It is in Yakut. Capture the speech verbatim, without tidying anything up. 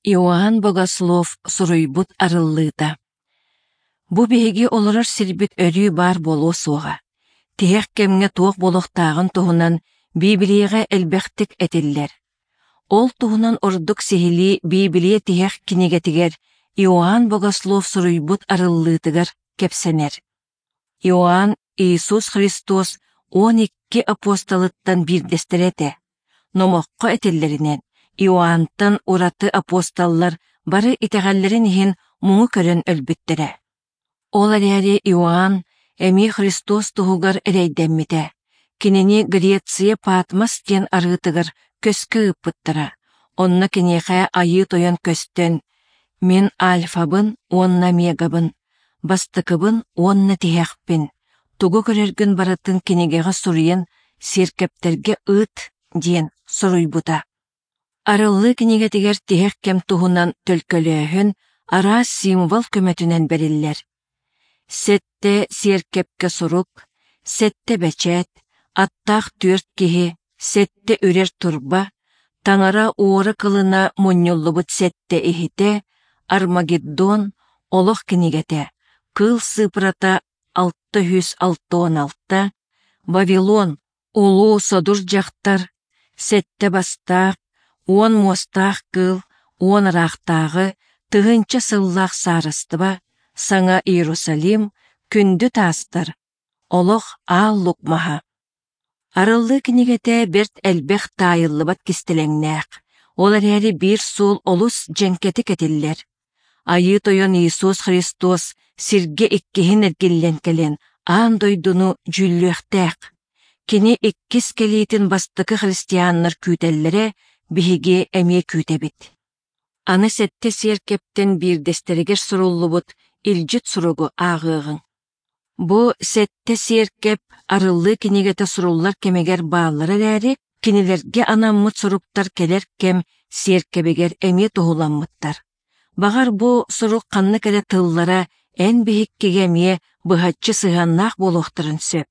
Иоанн Богослов суруйбут арыллыыта. Бу биһиги олорор сирбит өрүү баар буолуо суоҕа. Тиһэх кэмҥэ туох буолуохтааҕын туһунан Библияҕа элбэхтик этиллэр. Ол туһунан ордук сиһилии Библия тиһэх кинигэтигэр Иоанн Богослов суруйбут арыллыытыгар кэпсэнэр. Иоанн Иисус Христос уон икки апостолыттан биирдэстэрэ этэ. Номоххо этиллэринэн, Иоаннтан ураты апостоллар бары итэҕэллэрин иһин муҥу көрөн өлбүттэрэ. Ол эрээри Иоанн эмиэ Христос туһугар эрэйдэммитэ. Кинини Греция Патмос диэн арыытыгар көскө ыыппыттара. Онно киниэхэ Айыы Тойон көстөн, «Мин Альфабын уонна Омегабын, бастакыбын уонна тиһэхпин, тугу көрөргүн барытын кинигэҕэ суруйан сиэркэптэргэ ыыт» диэн суруйбута. Арыллыы кинигэтигэр тиһэх кэм туһунан төлкөлөөһүн араас символ көмөтүнэн бэриллэр. Сэттэ сиэркэпкэ сурук, сэттэ бэчээт, аттаах түөрт киһи, сэттэ үрэр турба, таҥара уора кылына мунньуллубут сэттэ иһитэ, Армагеддон, олох кинигэтэ, кыыл сыыпырата алта сүүс алта уон алта, Вавилон, улуу содур дьахтар, сэттэ бастаах, уон муостаах кыыл, уон ыраахтааҕы, тыһыынча сыллаах саарыстыба, Саҥа Иерусалим, күндү таастар, олох аал лук маһа. Арыллыы кинигэтэ бэрт элбэх таайыллыбат кистэлэҥнээх, ол эрээри биир суол олус дьэҥкэтик этиллэр. Айыы Тойон Иисус Христос сиргэ иккиһин эргиллэн кэлэн аан дойдуну дьүүллүөхтээх. Кини иккис кэлиитин бастакы христианнар күүтэллэрэ, биһиги эмиэ күүтэбит. Аны сэттэ сиэркэптэн биирдэстэригэр суруллубут илдьит суругу ааҕыаҕыҥ. Бу сэттэ сиэркэп арыллыы кинигэтэ суруллар кэмигэр бааллара эрээри, кинилэргэ анаммыт суруктар кэлэр кэм сиэркэбигэр эмиэ туһуламмыттар. Баҕар бу сурук ханнык эрэ тыллара эн биһиккигэ эмиэ быһаччы сыһыаннаах буолуохтарын сөп.